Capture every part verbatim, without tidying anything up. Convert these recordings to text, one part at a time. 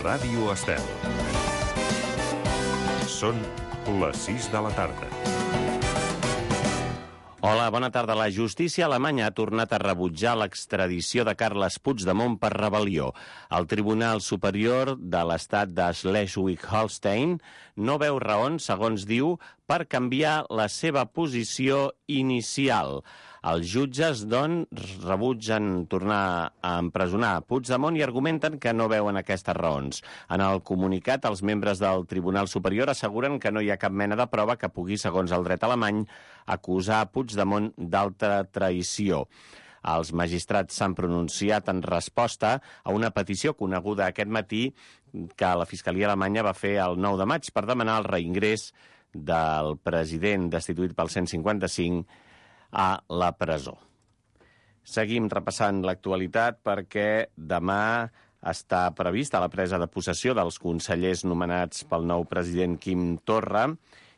Ràdio Estel. Són les sis de la tarda. Hola, bona tarda. La justícia alemanya ha tornat a rebutjar l'extradició de Carles Puigdemont per rebel·lió. El Tribunal Superior de l'Estat de Schleswig-Holstein no veu raons, segons diu, per canviar la seva posició inicial. Els jutges, doncs, rebutgen tornar a empresonar Puigdemont i argumenten que no veuen aquestes raons. En el comunicat, els membres del Tribunal Superior asseguren que no hi ha cap mena de prova que pugui, segons el dret alemany, acusar Puigdemont d'alta traïció. Els magistrats s'han pronunciat en resposta a una petició coneguda aquest matí que la Fiscalia alemanya va fer el nou de maig per demanar el reingrés del president destituït pel cent cinquanta-cinc a la presó. Seguim repassant l'actualitat perquè demà està prevista la presa de possessió dels consellers nomenats pel nou president Quim Torra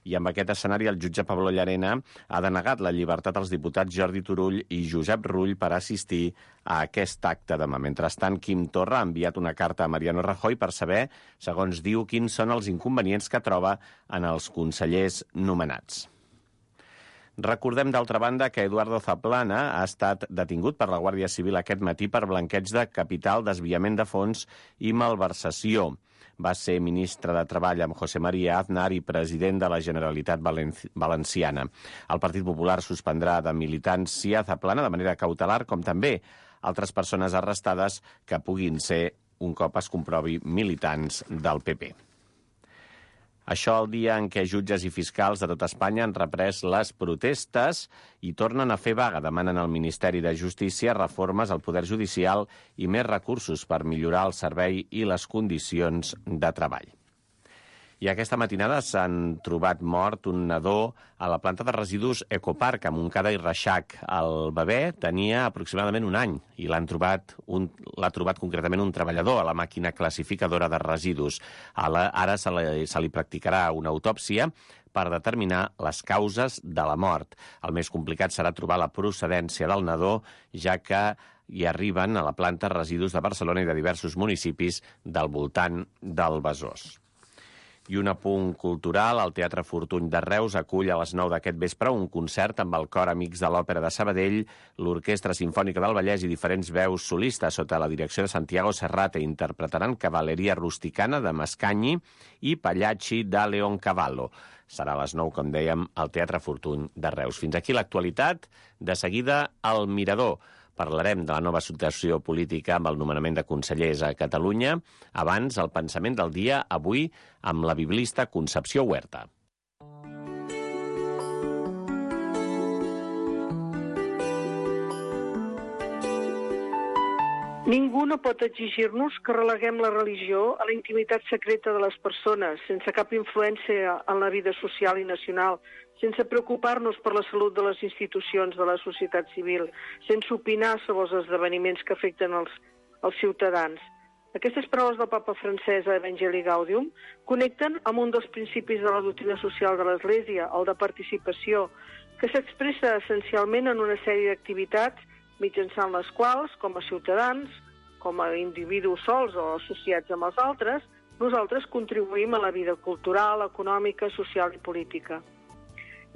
i amb aquest escenari el jutge Pablo Llarena ha denegat la llibertat als diputats Jordi Turull i Josep Rull per assistir a aquest acte demà. Mentrestant, Quim Torra ha enviat una carta a Mariano Rajoy per saber, segons diu, quins són els inconvenients que troba en els consellers nomenats. Recordem, d'altra banda, que Eduardo Zaplana ha estat detingut per la Guàrdia Civil aquest matí per blanqueig de capital, desviament de fons i malversació. Va ser ministre de Treball amb José María Aznar i president de la Generalitat Valenciana. El Partit Popular suspendrà de militància Zaplana de manera cautelar, com també altres persones arrestades que puguin ser, un cop es comprovi, militants del P P. Això el dia en què jutges i fiscals de tot Espanya han reprès les protestes i tornen a fer vaga. Demanen al Ministeri de Justícia reformes al Poder Judicial i més recursos per millorar el servei i les condicions de treball. I aquesta matinada s'han trobat mort un nadó a la planta de residus Ecopark a Montcada i Reixac. El bebè tenia aproximadament un any i l'han trobat un, l'ha trobat concretament un treballador a la màquina classificadora de residus. Ara se li, se li practicarà una autòpsia per determinar les causes de la mort. El més complicat serà trobar la procedència del nadó, ja que hi arriben a la planta residus de Barcelona i de diversos municipis del voltant del Besòs. I un apunt cultural, el Teatre Fortuny de Reus acull a les nou d'aquest vespre un concert amb el cor Amics de l'Òpera de Sabadell, l'Orquestra Simfònica del Vallès i diferents veus solistes sota la direcció de Santiago Serrate. Interpretaran Cavalleria Rusticana de Mascagni i Pagliacci de Leoncavallo. Serà a les nou, com dèiem, al Teatre Fortuny de Reus. Fins aquí l'actualitat. De seguida, el Mirador. Parlarem de la nova situació política amb el nomenament de consellers a Catalunya. Abans, el pensament del dia, avui, amb la biblista Concepció Huerta. Ningú no pot exigir-nos que releguem la religió a la intimitat secreta de les persones, sense cap influència en la vida social i nacional, sense preocupar-nos per la salut de les institucions de la societat civil, sense opinar sobre els esdeveniments que afecten els, els ciutadans. Aquestes paraules del papa francès a Evangelii Gaudium connecten amb un dels principis de la doctrina social de l'Església, el de participació, que s'expressa essencialment en una sèrie d'activitats mitjançant les quals, com a ciutadans, com a individus sols o associats amb els altres, nosaltres contribuïm a la vida cultural, econòmica, social i política.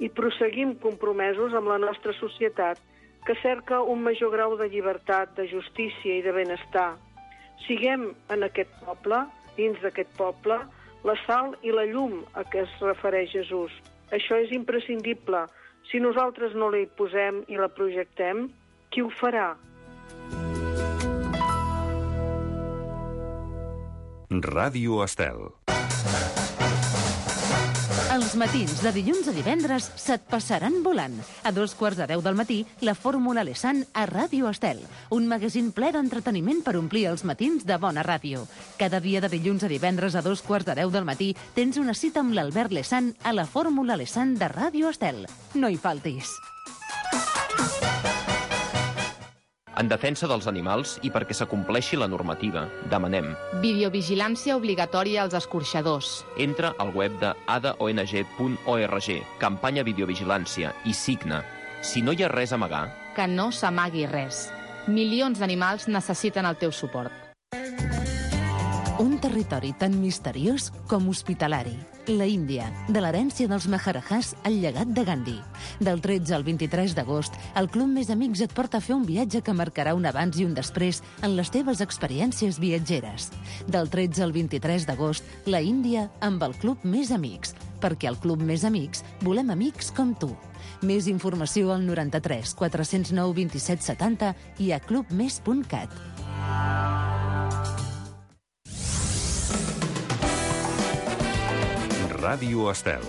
I proseguim compromesos amb la nostra societat, que cerca un major grau de llibertat, de justícia i de benestar. Siguem en aquest poble, dins d'aquest poble, la sal i la llum a què es refereix Jesús. Això és imprescindible. Si nosaltres no la hi posem i la projectem, qui ho farà? Ràdio Estel. Els matins de dilluns a divendres se't passaran volant. A dos quarts de deu del matí, la Fórmula Lesan a Ràdio Estel. Un magazín ple d'entreteniment per omplir els matins de bona ràdio. Cada dia de dilluns a divendres a dos quarts de deu del matí tens una cita amb l'Albert Lesan a la Fórmula Lesan de Ràdio Estel. No hi faltis. En defensa dels animals i perquè s'acompleixi la normativa, demanem videovigilància obligatòria als escorxadors. Entra al web de a d o n g punt org, campanya videovigilància, i signa. Si no hi ha res a amagar, que no s'amagui res. Milions d'animals necessiten el teu suport. Un territori tan misteriós com hospitalari. La Índia, de l'herència dels Maharajahs al llegat de Gandhi. Del tretze al vint-i-tres d'agost, el Club Més Amics et porta a fer un viatge que marcarà un abans i un després en les teves experiències viatgeres. Del tretze al vint-i-tres d'agost, la Índia amb el Club Més Amics. Perquè al Club Més Amics volem amics com tu. Més informació al noranta-tres quatre-cents nou vint-i-set setanta i a club més punt cat. Ràdio Estel.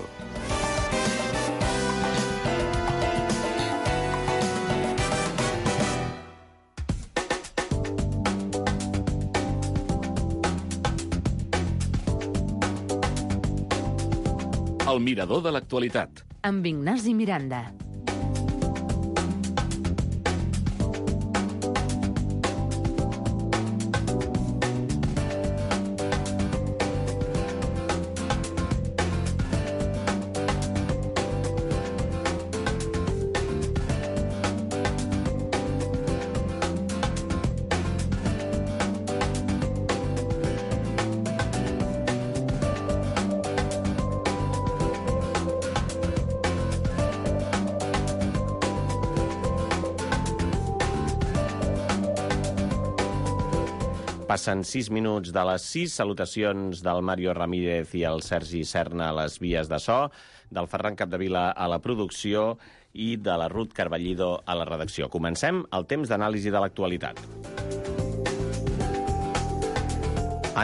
El mirador de l'actualitat. Amb Ignasi Miranda. Passen sis minuts de les sis. Salutacions del Mario Ramírez i el Sergi Serna a les vies de so, del Ferran Capdevila a la producció i de la Ruth Carballido a la redacció. Comencem el temps d'anàlisi de l'actualitat.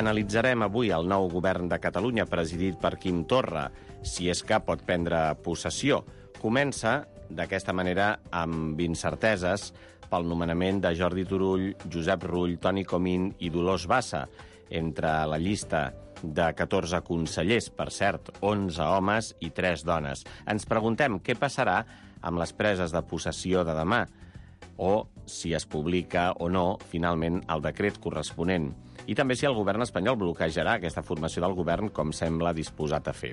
Analitzarem avui el nou govern de Catalunya presidit per Quim Torra, si és que pot prendre possessió. Comença, d'aquesta manera, amb incerteses pel nomenament de Jordi Turull, Josep Rull, Toni Comín i Dolors Bassa, entre la llista de catorze consellers, per cert, onze homes i tres dones. Ens preguntem què passarà amb les preses de possessió de demà, o si es publica o no, finalment, el decret corresponent. I també si el govern espanyol bloquejarà aquesta formació del govern, com sembla disposat a fer.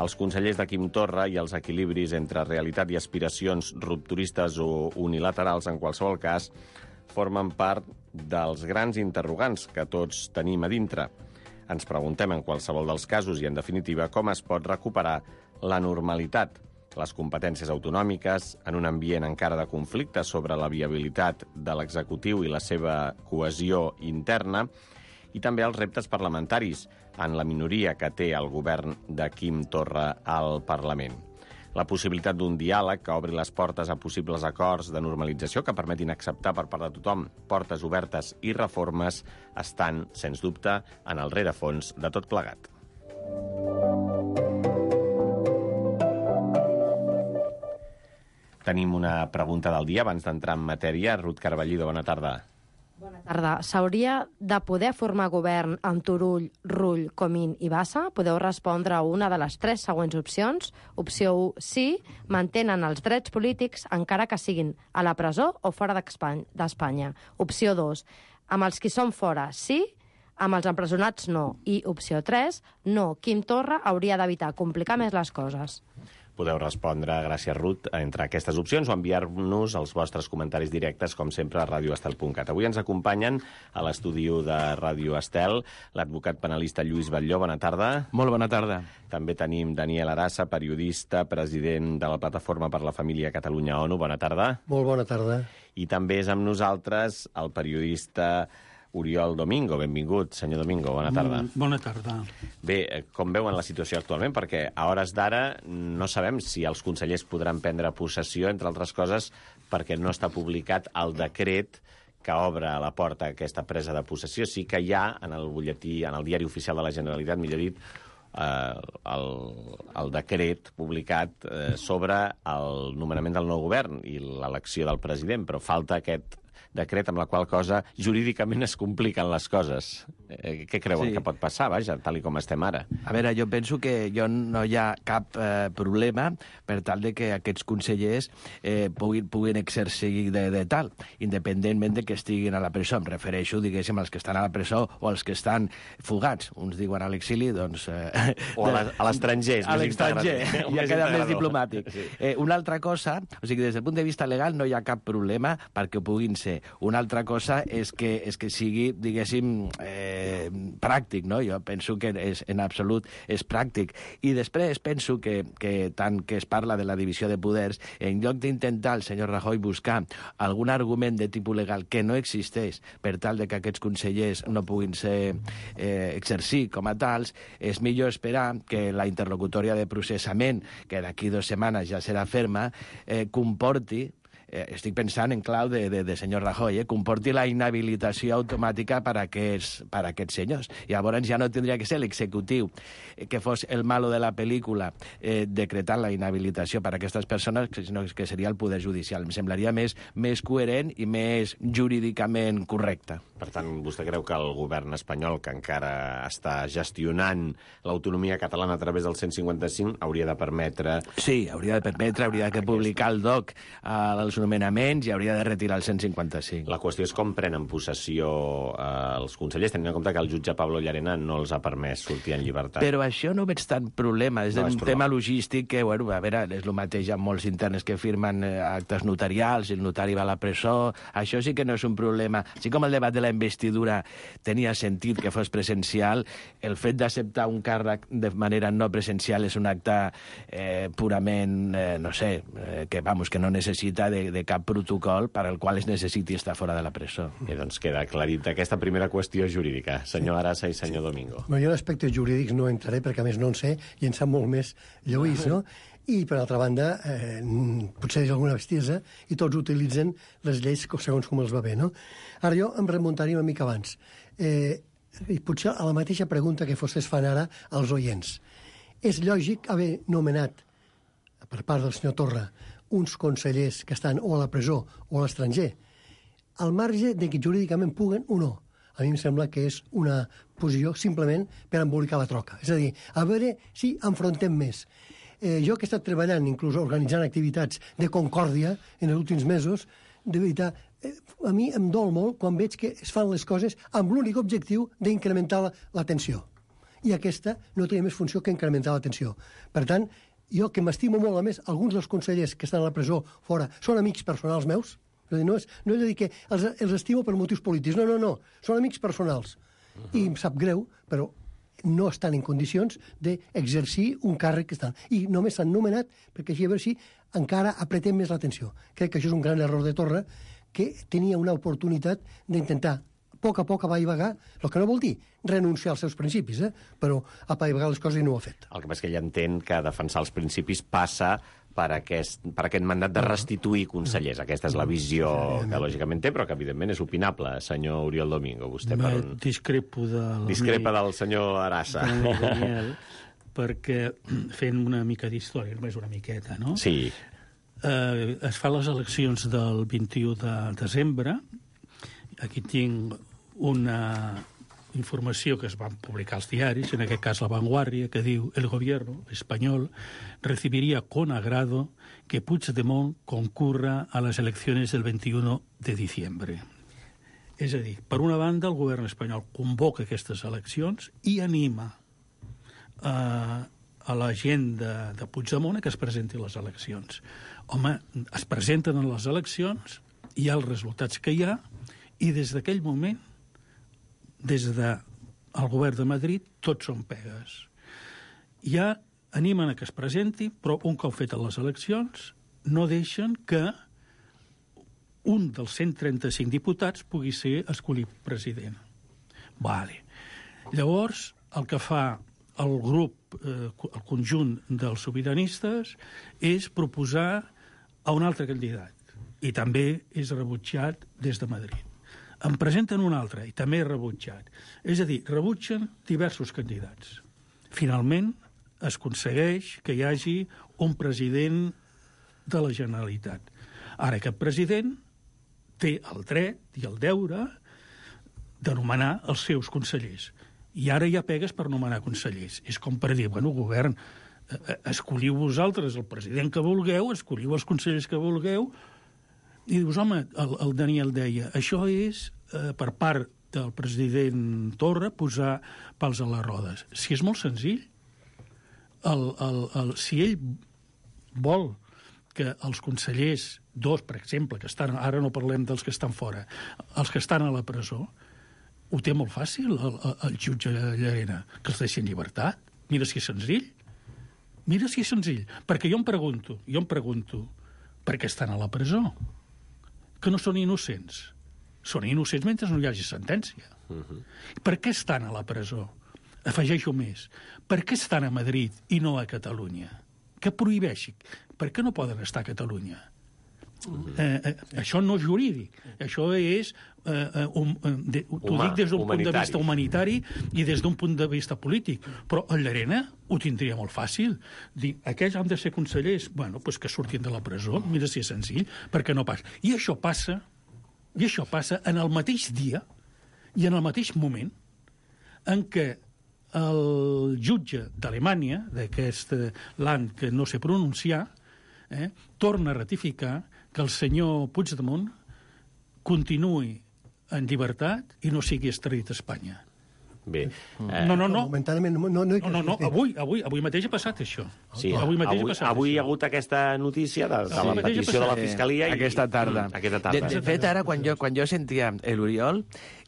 Els consellers de Quim Torra i els equilibris entre realitat i aspiracions rupturistes o unilaterals, en qualsevol cas, formen part dels grans interrogants que tots tenim a dintre. Ens preguntem en qualsevol dels casos i, en definitiva, com es pot recuperar la normalitat, les competències autonòmiques, en un ambient encara de conflicte sobre la viabilitat de l'executiu i la seva cohesió interna, i també els reptes parlamentaris en la minoria que té el govern de Quim Torra al Parlament. La possibilitat d'un diàleg que obri les portes a possibles acords de normalització que permetin acceptar per part de tothom portes obertes i reformes estan, sens dubte, en el rerefons de tot plegat. Tenim una pregunta del dia abans d'entrar en matèria. Ruth Carballido, bona tarda. Bona tarda. S'hauria de poder formar govern amb Turull, Rull, Comín i Bassa? Podeu respondre a una de les tres següents opcions. Opció u, sí, mantenen els drets polítics encara que siguin a la presó o fora d'Espanya. Opció dos, amb els qui són fora, sí, amb els empresonats no. I opció tres, no, Quim Torra hauria d'evitar complicar més les coses. Podeu respondre, gràcies Ruth, entre aquestes opcions o enviar-nos els vostres comentaris directes, com sempre, a radio estel punt cat. Avui ens acompanyen a l'estudi de Ràdio Estel l'advocat penalista Lluís Batlló. Bona tarda. Molt bona tarda. També tenim Daniel Arassa, periodista, president de la Plataforma per la Família Catalunya-ONU. Bona tarda. Molt bona tarda. I també és amb nosaltres el periodista Oriol Domingo. Benvingut, senyor Domingo. Bona tarda. Mm, bona tarda. Bé, com veuen la situació actualment? Perquè a hores d'ara no sabem si els consellers podran prendre possessió, entre altres coses, perquè no està publicat el decret que obre la porta a aquesta presa de possessió. Sí que hi ha en el butlletí, en el diari oficial de la Generalitat, millor dit, eh, el, el decret publicat eh, sobre el nomenament del nou govern i l'elecció del president, però falta aquest decret amb la qual cosa jurídicament es compliquen les coses. Eh, què creuen sí. que pot passar, vaja, tal i com estem ara? A veure, jo penso que jo no hi ha cap eh, problema per tal de que aquests consellers eh, puguin, puguin exercir de, de tal, independentment de que estiguin a la presó. Em refereixo, diguéssim, als que estan a la presó o als que estan fugats. Uns diuen a l'exili, doncs... Eh, o a l'estranger. A l'estranger, ja queda més diplomàtic. Sí. Eh, una altra cosa, o sigui, des del punt de vista legal no hi ha cap problema perquè ho puguin ser. Una altra cosa és que, és que sigui, diguéssim, eh, eh, pràctic, no? Jo penso que és, en absolut és pràctic. I després penso que, que tant que es parla de la divisió de poders, en lloc d'intentar el senyor Rajoy buscar algun argument de tipus legal que no existeix per tal de que aquests consellers no puguin ser eh, exercir com a tals, és millor esperar que la interlocutòria de processament, que d'aquí dues setmanes ja serà ferma, eh, comporti, eh, estic pensant en clau de, de, de senyor Rajoy, eh, comporti la inhabilitació automàtica per a aquests, per a aquests senyors. Llavors ja no tindria que ser l'executiu eh, que fos el malo de la pel·lícula eh, decretant la inhabilitació per a aquestes persones, sinó que seria el Poder Judicial. Em semblaria més, més coherent i més jurídicament correcte. Per tant, vostè creu que el govern espanyol, que encara està gestionant l'autonomia catalana a través del cent cinquanta-cinc, hauria de permetre... Sí, hauria de permetre, hauria de publicar el D O C als nomenaments i hauria de retirar el cent cinquanta-cinc. La qüestió és com prenen possessió eh, els consellers, tenint en compte que el jutge Pablo Llarena no els ha permès sortir en llibertat. Però això no veig tant problema. És no, un és tema logístic que, bueno, a veure, és el mateix amb molts interns que firmen eh, actes notarials, el notari va a la presó, això sí que no és un problema. Així com el debat de la investidura tenia sentit que fos presencial, el fet d'acceptar un càrrec de manera no presencial és un acte eh, purament, eh, no sé, eh, que, vamos, que no necessita de, de cap protocol per al qual es necessiti estar fora de la presó. I doncs queda aclarit aquesta primera qüestió jurídica. Senyor Arasa i senyor Domingo. Bueno, jo en aspectes jurídics no entraré perquè a més no en sé i en sap molt més Lluís, no? I, per altra banda, eh, potser és alguna bestiesa i tots utilitzen les lleis segons com els va bé, no? Ara jo em remuntaria una mica abans. Eh, i potser a la mateixa pregunta que vostès fan ara als oients. És lògic haver nomenat, per part del senyor Torra, uns consellers que estan o a la presó o a l'estranger, al marge de que jurídicament puguen o no. A mi em sembla que és una posició simplement per embolicar la troca. És a dir, a veure si enfrontem més. Eh, jo que he estat treballant, inclús organitzant activitats de concòrdia en els últims mesos, de veritat, eh, a mi em dol molt quan veig que es fan les coses amb l'únic objectiu d'incrementar la, la tensió. I aquesta no té més funció que incrementar la tensió. Per tant, jo que m'estimo molt, a més, alguns dels consellers que estan a la presó fora són amics personals meus, no és, no és a dir que els, els estimo per motius polítics, no, no, no, són amics personals. Uh -huh. I em sap greu, però no estan en condicions d'exercir un càrrec que estan. I només s'han nomenat perquè així a veure si encara apretem més l'atenció. Crec que això és un gran error de Torra, que tenia una oportunitat d'intentar a poc a poc apaivagar, el que no vol dir renunciar als seus principis, eh? Però apaivagar les coses i no ho ha fet. El que passa és que ell entén que defensar els principis passa per aquest, per aquest mandat de restituir consellers. Aquesta és la visió que lògicament té, però que evidentment és opinable. Senyor Oriol Domingo, vostè per un... Discrepo del... Discrepa del senyor Arasa. Daniel, perquè fent una mica d'història, només una miqueta, no? Sí. Eh, es fan les eleccions del vint-i-u de desembre. Aquí tinc una informació que es van publicar als diaris, en aquest cas La Vanguardia, que diu: el gobierno espanyol recibiría con agrado que Puigdemont concurra a les eleccions del vint-i-u de diciembre. És a dir, per una banda, el govern espanyol convoca aquestes eleccions i anima a, a la gent de, de Puigdemont a que es presenti a les eleccions. Home, es presenten a les eleccions, hi ha els resultats que hi ha, i des d'aquell moment, des del govern de Madrid, tots són pegues. Ja animen a que es presenti, però un cop fetes les eleccions no deixen que un dels cent trenta-cinc diputats pugui ser escollit president. Vale. Llavors, el que fa el grup, eh, el conjunt dels sobiranistes, és proposar a un altre candidat, i també és rebutjat des de Madrid. En presenten un altre, i també és rebutjat. És a dir, rebutgen diversos candidats. Finalment, es aconsegueix que hi hagi un president de la Generalitat. Ara, aquest president té el dret i el deure de nomenar els seus consellers. I ara hi ha pegues per nomenar consellers. És com per dir, bueno, govern, escolliu vosaltres el president que vulgueu, escolliu els consellers que vulgueu. I dius, home, el, el Daniel deia, això és, eh, per part del president Torra, posar pals a les rodes. Si és molt senzill, el, el, el, si ell vol que els consellers, dos, per exemple, que estan, ara no parlem dels que estan fora, els que estan a la presó, ho té molt fàcil, el, el, el jutge Llarena, que els deixi en llibertat. Mira si és senzill. Mira si és senzill. Perquè jo em pregunto, jo em pregunto, per què estan a la presó? Que no són innocents. Són innocents mentre no hi hagi sentència. Uh-huh. Per què estan a la presó? Afegeixo més. Per què estan a Madrid i no a Catalunya? Que prohibeixi. Per què no poden estar a Catalunya? Uh-huh. Eh, eh, això no és jurídic. Això és... Eh, um, de, t'ho dic des d'un punt de vista humanitari i des d'un punt de vista polític. Però a Llarena ho tindria molt fàcil. Dir, aquells han de ser consellers. Bueno, doncs que surtin de la presó. Mira si és senzill. Perquè no passa. I això passa... I això passa en el mateix dia i en el mateix moment en què el jutge d'Alemanya, d'aquest land que no sé pronunciar, eh, torna a ratificar que el senyor Puigdemont continuï en llibertat i no sigui extradit a Espanya. Bé. Eh... No, no, no. Momentàniament no, no, no, no, no, no. Avui, avui, avui mateix ha passat això. Sí, avui mateix avui, ha passat avui això. hi ha hagut aquesta notícia de, de sí, la petició de la Fiscalia. Eh, aquesta tarda. I... Aquesta tarda. De, de fet, ara, quan jo, quan jo sentia l'Oriol,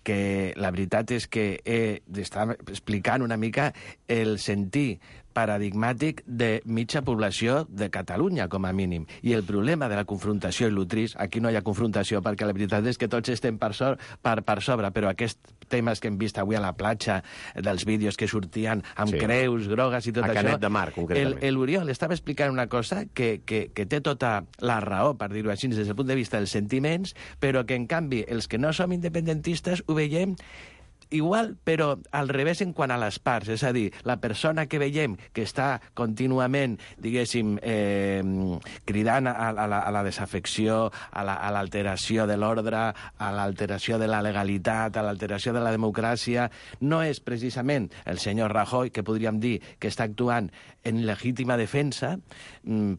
que la veritat és que he d'estar explicant una mica el sentir paradigmàtic de mitja població de Catalunya, com a mínim. I el problema de la confrontació i l'utrís, aquí no hi ha confrontació, perquè la veritat és que tots estem per, so, per, per sobre, però aquests temes que hem vist avui a la platja, dels vídeos que sortien amb sí. creus grogues i tot a això... A Canet de Mar, concretament. L'Oriol estava explicant una cosa que, que, que té tota la raó, per dir-ho així, des del punt de vista dels sentiments, però que, en canvi, els que no som independentistes ho veiem igual, però al revés en quant a les parts. És a dir, la persona que veiem que està contínuament, diguéssim, eh, cridant a, a, la, a la desafecció, a l'alteració la, de l'ordre, a l'alteració de la legalitat, a l'alteració de la democràcia, no és precisament el senyor Rajoy, que podríem dir que està actuant en legítima defensa,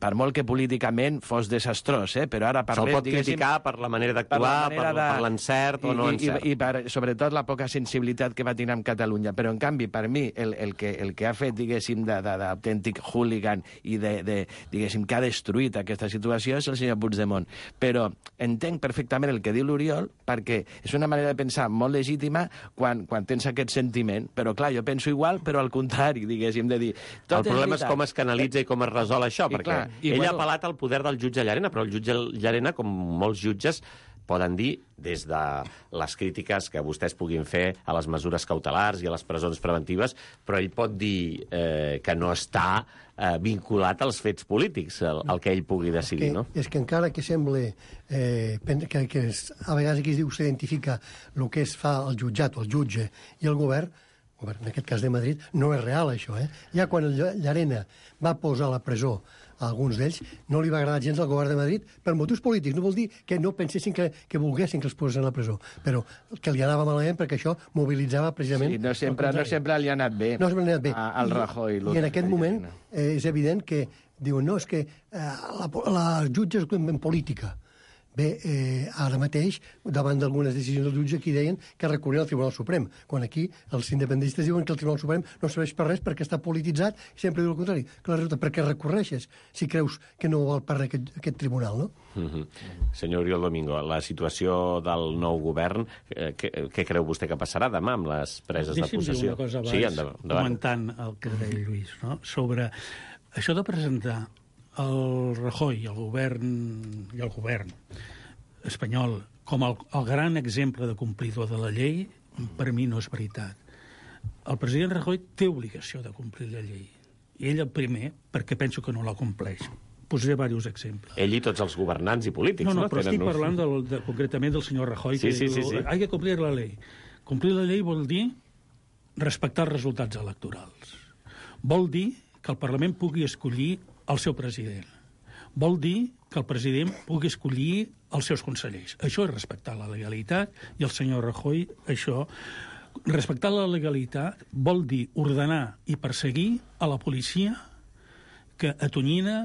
per molt que políticament fos desastrós, eh? Però ara parlem... Se'l pot criticar per la manera d'actuar, per, per, de... per l'encert o no encert. I, i, i per, sobretot, la poca sensibilitat que va tenir amb Catalunya. Però, en canvi, per mi, el, el, que, el que ha fet, diguéssim, d'autèntic hooligan i, de, de, diguéssim, que ha destruït aquesta situació és el senyor Puigdemont. Però entenc perfectament el que diu l'Oriol, perquè és una manera de pensar molt legítima quan, quan tens aquest sentiment. Però, clar, jo penso igual, però al contrari, diguéssim, de dir... El problema és com es canalitza i com es resol això, I, perquè clar, i, ell bueno... ha apel·lat al poder del jutge Llarena, però el jutge Llarena, com molts jutges, poden dir, des de les crítiques que vostès puguin fer a les mesures cautelars i a les presons preventives, però ell pot dir eh, que no està eh, vinculat als fets polítics, el, el que ell pugui decidir, que, no? És que encara que sembla eh, que, que es, a vegades aquí es diu s'identifica el que es fa el jutjat o el jutge i el govern, en aquest cas de Madrid, no és real, això, eh? Ja quan el Llarena va posar a la presó a alguns d'ells, no li va agradar gens al govern de Madrid per motius polítics. No vol dir que no pensessin que, que volguessin que els posessin a la presó, però que li anava malament perquè això mobilitzava precisament... Sí, no sempre, no sempre li ha anat bé, no sempre li ha anat bé. A, al Rajoy. I, i en aquest moment eh, és evident que diuen, no, és que eh, la, la jutge és en política. Bé, eh, ara mateix, davant d'algunes decisions del jutge, aquí deien que recorrien al Tribunal Suprem, quan aquí els independentistes diuen que el Tribunal Suprem no serveix per res perquè està polititzat, i sempre diu el contrari. Clar, resulta, per què recorreixes si creus que no val per res aquest, aquest tribunal, no? Mm-hmm. Senyor Oriol Domingo, la situació del nou govern, eh, què, què creu vostè que passarà demà amb les preses Deixi'm de possessió? Deixi'm dir una cosa abans, sí, endavant, endavant. comentant el que deia Lluís, no? Sobre això de presentar el Rajoy, el govern i el govern espanyol com el, el gran exemple de complidor de la llei, per mi no és veritat. El president Rajoy té obligació de complir la llei. I ell el primer, perquè penso que no la compleix. Posaré diversos exemples. Ell i tots els governants i polítics, no? No, no, però Tenen estic un... parlant del, de, concretament del senyor Rajoy, sí, que sí, diu, sí, sí. hay que complir la llei. Complir la llei vol dir respectar els resultats electorals. Vol dir que el Parlament pugui escollir el seu president. Vol dir que el president pugui escollir els seus consellers. Això és respectar la legalitat, i el senyor Rajoy, això... Respectar la legalitat vol dir ordenar i perseguir a la policia que atonyina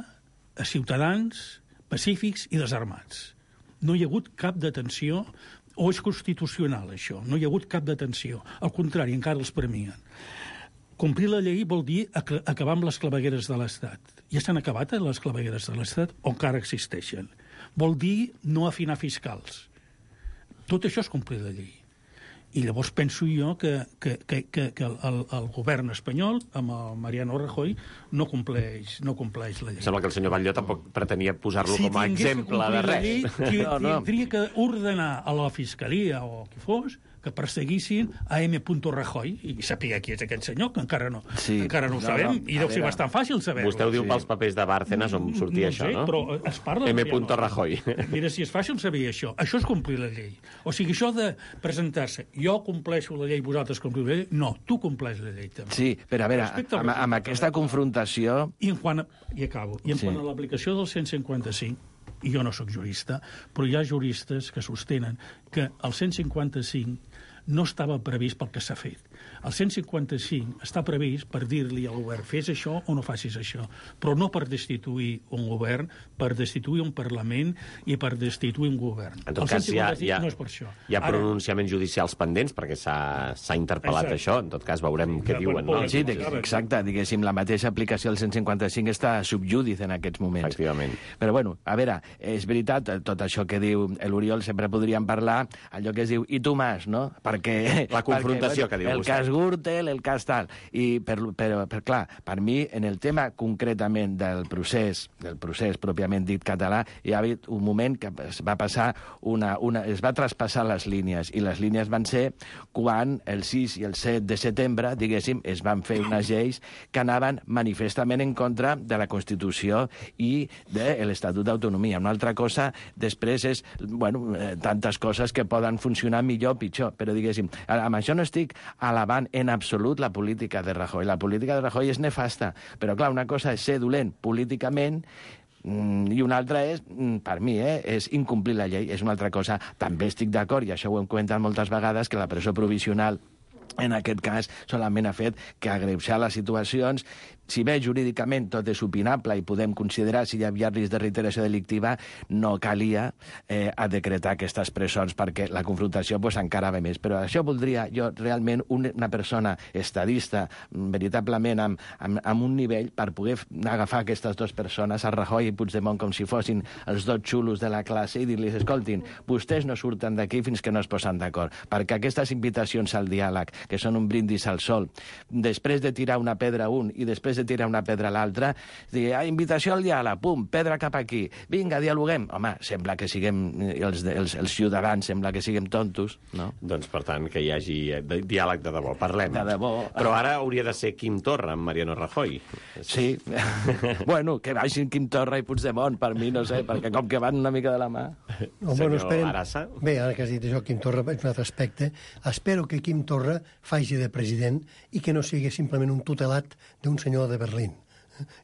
a ciutadans pacífics i desarmats. No hi ha hagut cap detenció, o és constitucional, això. No hi ha hagut cap detenció. Al contrari, encara els premien. Complir la llei vol dir acabar amb les clavegueres de l'Estat. Ja s'han acabat les clavegueres de l'Estat o encara existeixen. Vol dir no afinar fiscals. Tot això és complir la llei. I llavors penso jo que, que, que, que, que el, el govern espanyol, amb el Mariano Rajoy, no compleix, no compleix la llei. Sembla que el senyor Batlló tampoc pretenia posar-lo si com a exemple de res. Llei, qui, no, no. Tindria que ordenar a la Fiscalia o qui fos que perseguissin a M. Rajoy i saber qui és aquest senyor, que encara no, sí. encara no ho no, sabem, no. i deu ser bastant fàcil saber-ho. Vostè ho diu sí. pels papers de Bárcenas on sortia no això, sé, no? Però es parla M. de Rajoy. Mira, si és fàcil saber això. Això és complir la llei. O sigui, això de presentar-se, jo compleixo la llei, vosaltres compliu la llei, no, tu compleix la llei també. Sí, però a veure, amb, amb aquesta confrontació... I en quant a, i acabo, i en sí. quant a l'aplicació del cent cinquanta-cinc, i jo no sóc jurista, però hi ha juristes que sostenen que el cent cinquanta-cinc no estava previst pel que s'ha fet. El cent cinquanta-cinc està previst per dir-li al govern fes això o no facis això, però no per destituir un govern, per destituir un Parlament i per destituir un govern. En tot cas, hi ha, hi ha, no és per això. Hi ha pronunciaments Ara... judicials pendents perquè s'ha interpel·lat Exacte. Això. En tot cas, veurem què ja, diuen. No? Sí, exacte. Diguéssim, la mateixa aplicació del cent cinquanta-cinc està subjúdice en aquests moments. Efectivament. Però, bueno, a veure, és veritat, tot això que diu l'Oriol, sempre podríem parlar, allò que es diu i tu más, no? Perquè... La confrontació perquè, que diu el vostè. El cas Gürtel, el cas tal. I, per, per, per, clar, per mi, en el tema concretament del procés, del procés pròpiament dit català, hi ha hagut un moment que es va passar una, una, es va traspassar les línies, i les línies van ser quan el sis i el set de setembre, diguéssim, es van fer unes lleis que anaven manifestament en contra de la Constitució i de l'Estatut d'Autonomia. Una altra cosa, després, és, bueno, eh, tantes coses que poden funcionar millor o pitjor, però, diguéssim, amb això no estic alabant en absolut la política de Rajoy. La política de Rajoy és nefasta, però, clar, una cosa és ser dolent políticament i una altra és, per mi, eh, és incomplir la llei. És una altra cosa. També estic d'acord, i això ho hem comentat moltes vegades, que la presó provisional en aquest cas solament ha fet que agreujar les situacions. Si bé jurídicament tot és opinable i podem considerar si hi havia risc de reiteració delictiva, no calia eh, a decretar aquestes presons perquè la confrontació pues, encara ve més. Però això voldria jo realment una persona estadista, veritablement amb, amb, amb un nivell per poder agafar aquestes dues persones, a Rajoy i Puigdemont, com si fossin els dos xulos de la classe i dir-los, escoltin, vostès no surten d'aquí fins que no es posen d'acord, perquè aquestes invitacions al diàleg, que són un brindis al sol, després de tirar una pedra a un i després de tirar una pedra a l'altra, dir, ah, invitació al diàleg, pum, pedra cap aquí, vinga, dialoguem. Home, sembla que siguem, els, els, els ciutadans, sembla que siguem tontos, no? Doncs, per tant, que hi hagi diàleg de debò, parlem. De debò. Però ara hauria de ser Quim Torra amb Mariano Rajoy. Sí. Bueno, que vagin Quim Torra i Puigdemont, per mi, no sé, perquè com que van una mica de la mà. No, bueno, esperen... Bé, ara que has dit això, Quim Torra, és un altre aspecte. Espero que Quim Torra faci de president i que no sigui simplement un tutelat d'un senyor de Berlín.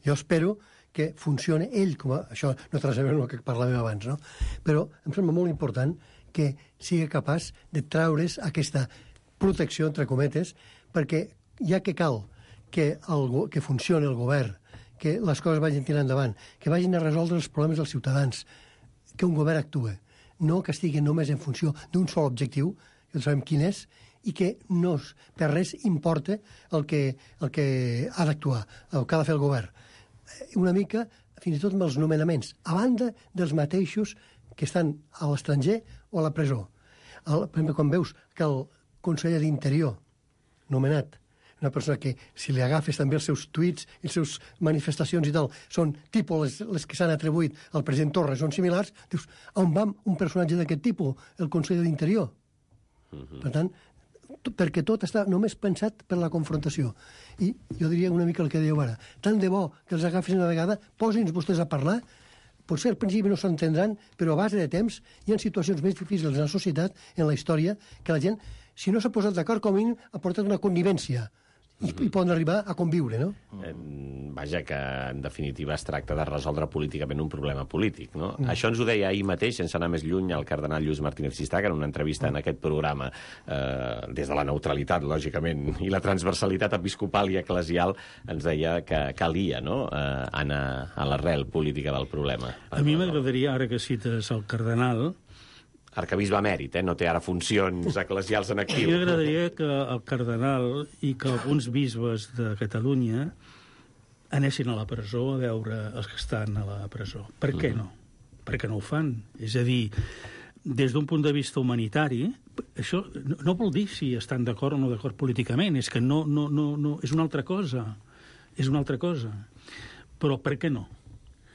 Jo espero que funcione ell, com a, això no té res a veure amb el que parlàvem abans, no? Però em sembla molt important que sigui capaç de traure's aquesta protecció, entre cometes, perquè ja que cal que, el, que funcioni el govern, que les coses vagin tirant endavant, que vagin a resoldre els problemes dels ciutadans, que un govern actue, no que estigui només en funció d'un sol objectiu, que no sabem quin és, i que no, per res importa el que, el que ha d'actuar, el que ha de fer el govern. Una mica, fins i tot amb els nomenaments, a banda dels mateixos que estan a l'estranger o a la presó. El, per exemple, quan veus que el conseller d'Interior, nomenat, una persona que, si li agafes també els seus tuits i les seves manifestacions i tal, són tipus les, les que s'han atribuït al president Torra, són similars, dius, on va un personatge d'aquest tipus, el conseller d'Interior? Uh-huh. Per tant, perquè tot està només pensat per la confrontació. I jo diria una mica el que dèieu ara. Tant de bo que els agafis una vegada, posin vostès a parlar, potser al principi no s'entendran, però a base de temps hi ha situacions més difícils en la societat, en la història, que la gent, si no s'ha posat d'acord, com a mínim ha portat una connivència. I, i poden arribar a conviure, no? Eh, vaja, que en definitiva es tracta de resoldre políticament un problema polític, no? Mm. Això ens ho deia ahir mateix, sense anar més lluny, el cardenal Lluís Martínez Sistac en una entrevista en aquest programa, eh, des de la neutralitat, lògicament, i la transversalitat episcopal i eclesial, ens deia que calia, no?, eh, anar a l'arrel política del problema. A mi m'agradaria, ara que cites el cardenal, arcabisbe emèrit, eh? No té ara funcions eclesials en actiu. A mi m'agradaria que el cardenal i que alguns bisbes de Catalunya anessin a la presó a veure els que estan a la presó. Per què no? Per què no ho fan? És a dir, des d'un punt de vista humanitari, això no, no vol dir si estan d'acord o no d'acord políticament, és que no, no, no, no, és una altra cosa, és una altra cosa. Però per què no?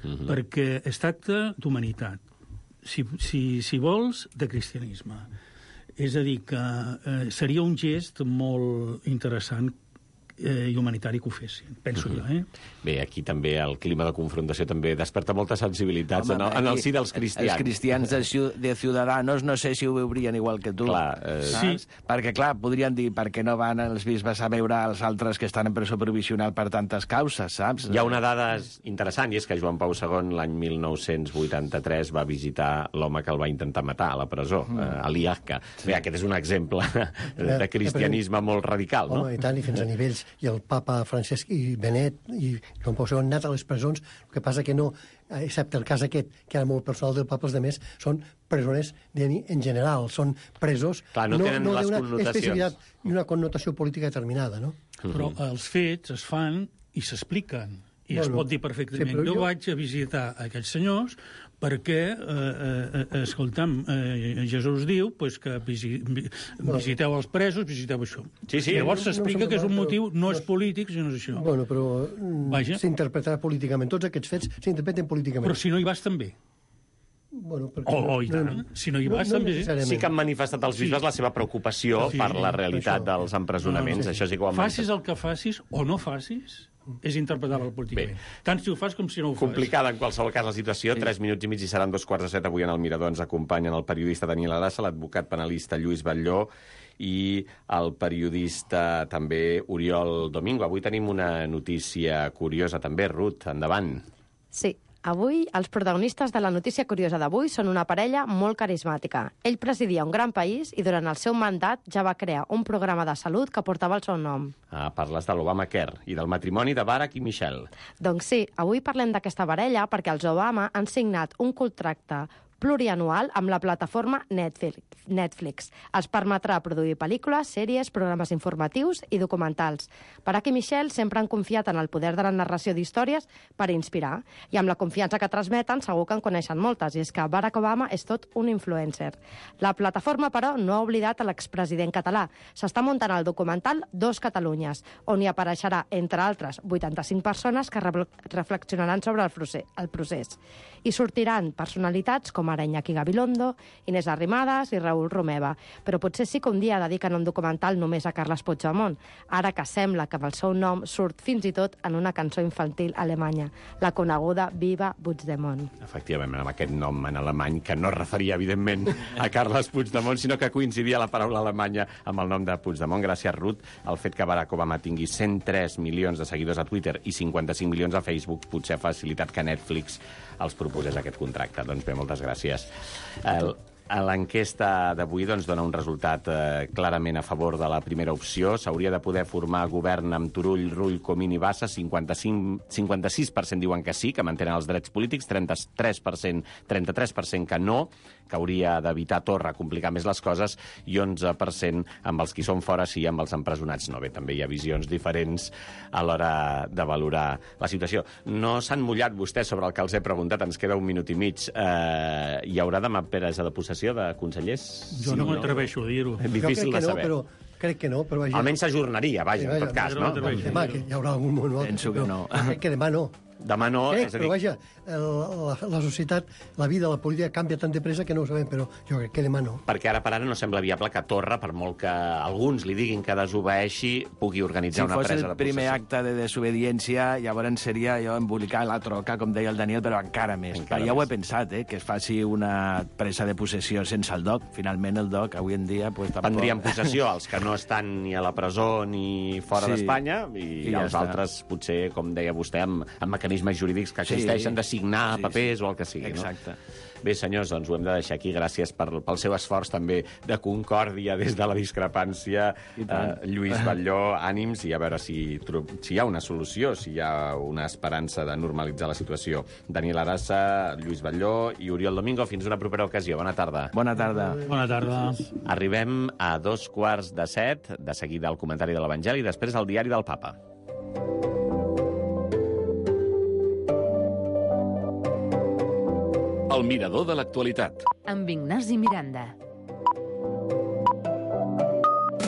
Uh-huh. Perquè es tracta d'humanitat. Si, si, si vols, de cristianisme. És a dir, que eh, seria un gest molt interessant eh, i humanitari que ho fessin, penso uh-huh. jo, eh? Bé, aquí també el clima de confrontació també desperta moltes sensibilitats. Home, en, el, en el si dels cristians. Els cristians de, de Ciudadanos no sé si ho veurien igual que tu. Clar, eh, sí. Perquè, clar, podrien dir per què no van els bisbes a veure els altres que estan en presó provisional per tantes causes, saps? Hi ha una dada interessant, i és que Joan Pau segon l'any mil nou-cents vuitanta-tres va visitar l'home que el va intentar matar a la presó, mm. eh, a l'Iacca. Sí. Bé, aquest és un exemple de cristianisme molt radical, no? Home, i tant, i fins a nivells. I el papa Francesc i Benet i Joan Pau segon han anat a les presons, el que passa que no, excepte el cas aquest, que era molt personal del papa, els demés són presoners en general, són presos... Clar, no, no tenen no les connotacions. I una connotació política determinada, no? Però els fets es fan i s'expliquen. I bueno, es pot dir perfectament. Sí, jo, jo vaig a visitar aquells senyors perquè, eh, eh, escolta'm, eh, Jesús diu pues, que visi, visiteu els presos, visiteu això. Sí, sí. Llavors s'explica no, no que és un però, motiu, no és polític, sinó és això. Bueno, però s'interpretarà políticament. Tots aquests fets s'interpreten políticament. Però si no hi vas també. Bueno, oh, oh, i tant. No, no, si no hi vas, no, no també. Sí que han manifestat els bisbes sí. la seva preocupació sí, per la realitat això. dels empresonaments. No, no, sí. Això sí que ho han facis el que facis o no facis, és interpretable políticament. Bé. Tant si ho fas com si no ho fas. Complicada, en qualsevol cas, la situació. Sí. Tres minuts i mig i seran dos quarts de set. Avui en el Mirador ens acompanyen el periodista Daniel Arassa, l'advocat penalista Lluís Batlló i el periodista també Oriol Domingo. Avui tenim una notícia curiosa també. Ruth, endavant. Sí. Avui, els protagonistes de la notícia curiosa d'avui són una parella molt carismàtica. Ell presidia un gran país i durant el seu mandat ja va crear un programa de salut que portava el seu nom. Ah, parles de l'Obamacare i del matrimoni de Barack i Michelle. Doncs sí, avui parlem d'aquesta parella perquè els Obama han signat un contracte plurianual amb la plataforma Netflix. Netflix. Els permetrà produir pel·lícules, sèries, programes informatius i documentals. Barack i Michelle sempre han confiat en el poder de la narració d'històries per inspirar, i amb la confiança que transmeten segur que en coneixen moltes, i és que Barack Obama és tot un influencer. La plataforma, però, no ha oblidat a l'expresident català. S'està muntant el documental Dos Catalunyes, on hi apareixerà, entre altres, vuitanta-cinc persones que re reflexionaran sobre el procés, el procés. I sortiran personalitats com ara Iñaki Gabilondo, Inés Arrimadas i Raül Romeva. Però potser sí que un dia dediquen un documental només a Carles Puigdemont, ara que sembla que amb el seu nom surt fins i tot en una cançó infantil alemanya, la coneguda Viva Puigdemont. Efectivament, amb aquest nom en alemany, que no es referia, evidentment, a Carles Puigdemont, sinó que coincidia la paraula alemanya amb el nom de Puigdemont. Gràcies, Ruth. El fet que Barack Obama tingui cent tres milions de seguidors a Twitter i cinquanta-cinc milions a Facebook potser ha facilitat que Netflix els proposés aquest contracte. Doncs bé, moltes gràcies. El, L'enquesta d'avui doncs, dona un resultat eh, clarament a favor de la primera opció. S'hauria de poder formar govern amb Turull, Rull, Comín i Bassa. cinquanta-cinc, cinquanta-sis per cent diuen que sí, que mantenen els drets polítics, trenta-tres per cent, trenta-tres per cent que no, que hauria d'evitar Torra complicar més les coses, i onze per cent amb els qui són fora sí, amb els empresonats no. Bé, també hi ha visions diferents a l'hora de valorar la situació. No s'han mullat vostès sobre el que els he preguntat, ens queda un minut i mig. Eh, hi haurà demà presa de possessió de consellers? Jo no m'atreveixo a dir-ho. Difícil de saber. No, però crec que no. Però vaja... Almenys s'ajornaria, vaja, sí, vaja, en tot cas, no? no? Demà, que hi haurà algun moment. Penso que no. Crec que demà no. Demà no, crec, és a dir... Però vaja, el, la, la societat, la vida, la política canvia tan de pressa que no ho sabem, però jo crec que demà no. Perquè ara per ara no sembla viable que Torra, per molt que alguns li diguin que desobeeixi, pugui organitzar si una presa de possessió. Si fos el primer acte de desobediència, llavors seria jo embolicar la troca, com deia el Daniel, però encara més. Encara ja més. Ho he pensat, eh, que es faci una presa de possessió sense el D O C. Finalment el D O C, avui en dia... Pues, tampoc... Prendrien possessió els que no estan ni a la presó ni fora sí, d'Espanya, i, i ja els està. Altres, potser, com deia vostè, amb, amb mecanismes jurídics que existeixen, sí, de signar sí, papers sí. o el que sigui. Exacte. No? Bé, senyors, doncs ho hem de deixar aquí. Gràcies per, pel seu esforç també de concòrdia des de la discrepància. Eh, Lluís Batlló, ànims, i a veure si, si hi ha una solució, si hi ha una esperança de normalitzar la situació. Daniel Arassa, Lluís Batlló i Oriol Domingo. Fins una propera ocasió. Bona tarda. Bona tarda. Bona tarda. Arribem a dos quarts de set, de seguida el comentari de l'Evangeli, i després el diari del Papa. El Mirador de l'actualitat. Amb Ignasi Miranda.